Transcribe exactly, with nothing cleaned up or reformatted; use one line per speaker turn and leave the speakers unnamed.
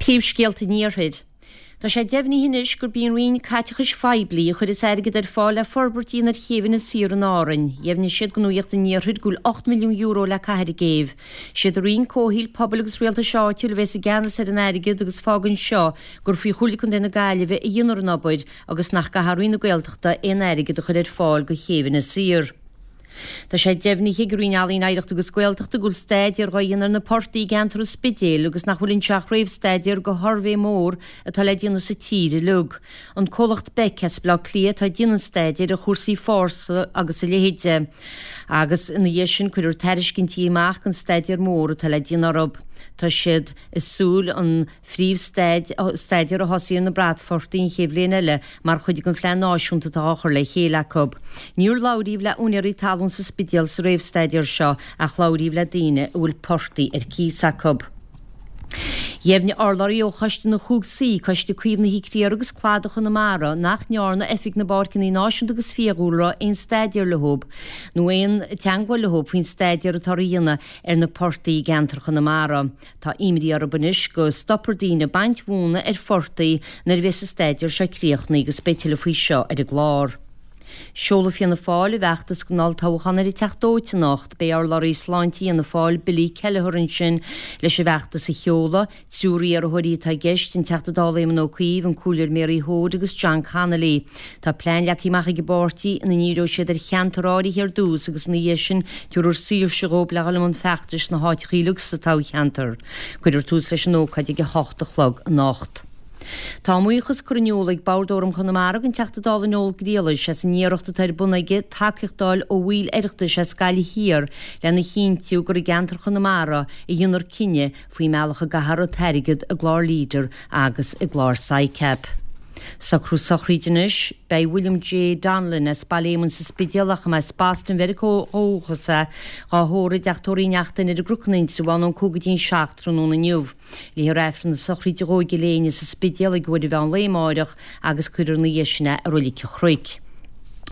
Príomhscéalta an Iarthair. Tá sé deimhnithe anois gurb í an Roinn Caiteachais Phoiblí a chuirfeas airgead ar fáil le forbairt a dhéanamh ar chéibh Inis Oírr in Árainn. Dheimhnigh siad do Nuacht an Iarthair go bhfuil ocht milliún euro le caitheamh ar an gcéibh. Siad an Roinn Comhshaoil, Pobail agus Rialtais Áitiúil a bheas i gceannas ar an airgead agus fágann seo gur faoi Chomhairle Contae na Gaillimhe a dhéanfar an obair agus nach gcaithfidh Roinn na Gaeltachta aon airgead a chur ar fáil do chéibh Inis Oírr. Tá sé deimhnithe ag an Roinn Ealaíon, Oidhreachta agus Gaeltachta go bhfuil staidéar dhá dhéanamh ar na portaigh i gceantar an Spidéil agus nach bhfuil anseo ach réamhstaidéar do shuirbhé mór atá le déanamh sa tír uilig. An comhlacht BECC as Baile Átha Cliath atá ag déanamh an staidéir ar chúrsaí fáis agus a leithéid agus ina dhiaidh sin cuirfear tairiscintí amach don staidéar mór atá le déanamh orthu. Tá siad ag súil an phríomhstaidéar a thosaí ar na bratphortaigh an chéad bhliain eile mar chuid den phlean náisiúnta atá á chur le chéile acu. Níor labhraíodh le úinéirí talún sa Spidéal sa réamhstaidéar seo ach labhraíodh le daoine a bhfuil portaigh ar cíos acu. Dheimhnigh urlabhraí ó Choiste na Chúig Suí, Coiste Caomhnaithe Criathar agus Cladach Chonamara, nach ndearna Oifig na bPáirceanna Náisiúnta agus Fiadhúlra aon staidéar leo nó aon teagmháil leo faoin staidéar atá á dhéanamh ar na portaigh i gceantar Chonamara. Tá imní orthu anois go stopfar daoine ag baint mhóna ar phortaigh nuair a bheas an staidéar seo críochnaithe agus beidh tuilleadh faoi seo ar an gclár. Seolfaidh Fianna Fáil a bhfeachtas don olltoghchán ar an Teach Dóite anocht. Beidh urlabhraí sláinte Fhianna Fáil, Billy Kelleher ansin leis an bhfeachtas a sheoladh. Triúr iarrthóirí atá i gceist, an Teachta Dála Éamon Ó Cuív, an Comhairleoir Mary Hoade agus John Connolly. Tá plean leagtha amach ag an bpáirtí ina ndíreoidh siad ar cheantar áirithe ar dtús agus ina dhiaidh sin tabharfar saoirse dhóibh le dhul i mbun feachtais sna háiteacha uilig sa toghcheantar. Cuirfear tús leis an ócáid ag a hocht a chlog anocht. Tá a mbuíochas curtha in iúl ag Bord Fhóram Chonamara don Teachta Dála Noel Griallais as an iarracht atá ar bun aige tacaíocht a fháil ó bhaill Oireachtais as Gaillimh Thiar lena chinntiú gur i gceantar Chonamara a dhéanfar cinneadh faoin mbealach a gcaithfear an t-airgead i gclár Leader agus i gclár SICAP. Socrú sochraide anois, beidh William J. Donlan as Baile Éamoinn sa Spidéal ach as Boston Mheiriceá ó dhúchas é, dhá thórramh i dteach tórraimh Uí Neachtain ar an gCnoc in Indreabhán ón cúig go dtí an seacht tráthnóna inniu. Léifear Aifreann na sochraide dhó i gCill Éinne sa Spidéal ag uair an mheán lae amáireach agus cuirfear ina dhiaidh sin é i Reilig an Chnoic.